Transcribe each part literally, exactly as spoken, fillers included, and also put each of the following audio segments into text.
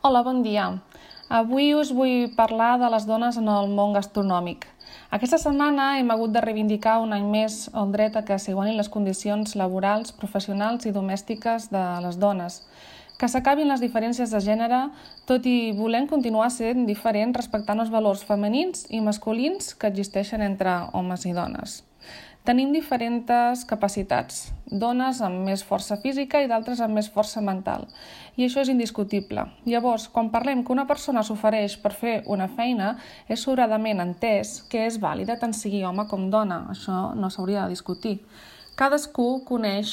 Hola, bon dia. Avui us vull parlar de les dones en el món gastronòmic. Aquesta setmana hem hagut de reivindicar un any més el dret a que s'igualin les condicions laborals, professionals i domèstiques de les dones, que s'acabin les diferències de gènere, tot i volem continuar sent diferents respectant els valors femenins i masculins que existeixen entre homes i dones. Tenim diferents capacitats, dones amb més força física i d'altres amb més força mental, i això és indiscutible. Llavors, quan parlem que una persona s'ofereix per fer una feina, és sobradament entès que és vàlida tant sigui home com dona, això no s'hauria de discutir. Cadascú coneix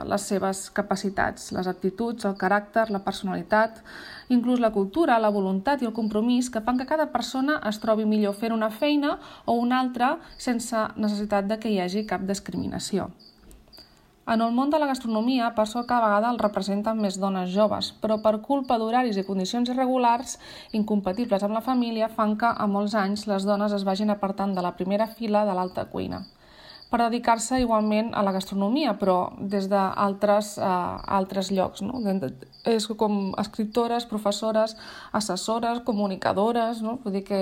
les seves capacitats, les aptituds, el caràcter, la personalitat, inclús la cultura, la voluntat i el compromís que fan que cada persona es trobi millor fent una feina o una altra sense necessitat de que hi hagi cap discriminació. En el món de la gastronomia, per sort cada vegada el representen més dones joves, però per culpa d'horaris i condicions irregulars, incompatibles amb la família, fan que a molts anys les dones es vagin apartant de la primera fila de l'alta cuina, per dedicar-se igualment a la gastronomia, però des d'altres eh, altres llocs, no? És com escriptores, professores, assessores, comunicadores, no? Vull dir que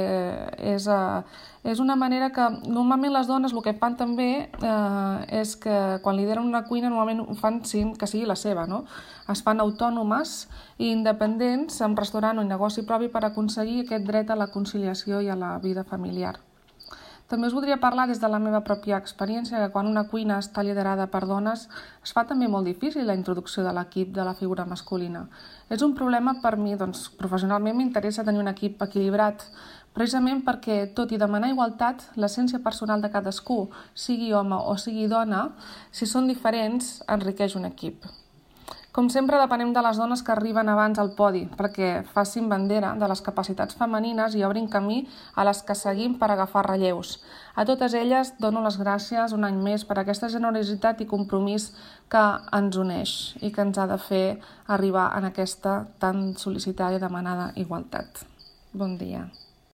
és, eh, és una manera que normalment les dones el que fan també eh, és que quan lideren una cuina normalment ho fan sin que sigui la seva, no? Es fan autònomes i independents amb restaurant o negoci propi per aconseguir aquest dret a la conciliació i a la vida familiar. També us voldria parlar des de la meva pròpia experiència que quan una cuina està liderada per dones es fa també molt difícil la introducció de l'equip de la figura masculina. És un problema per mi, doncs professionalment m'interessa tenir un equip equilibrat, precisament perquè, tot i demanar igualtat, l'essència personal de cadascú, sigui home o sigui dona, si són diferents, enriqueix un equip. Com sempre, depenem de les dones que arriben abans al podi, perquè facin bandera de les capacitats femenines i obrin camí a les que seguim per agafar relleus. A totes elles dono les gràcies un any més per aquesta generositat i compromís que ens uneix i que ens ha de fer arribar en aquesta tan sol·licitada i demanada igualtat. Bon dia.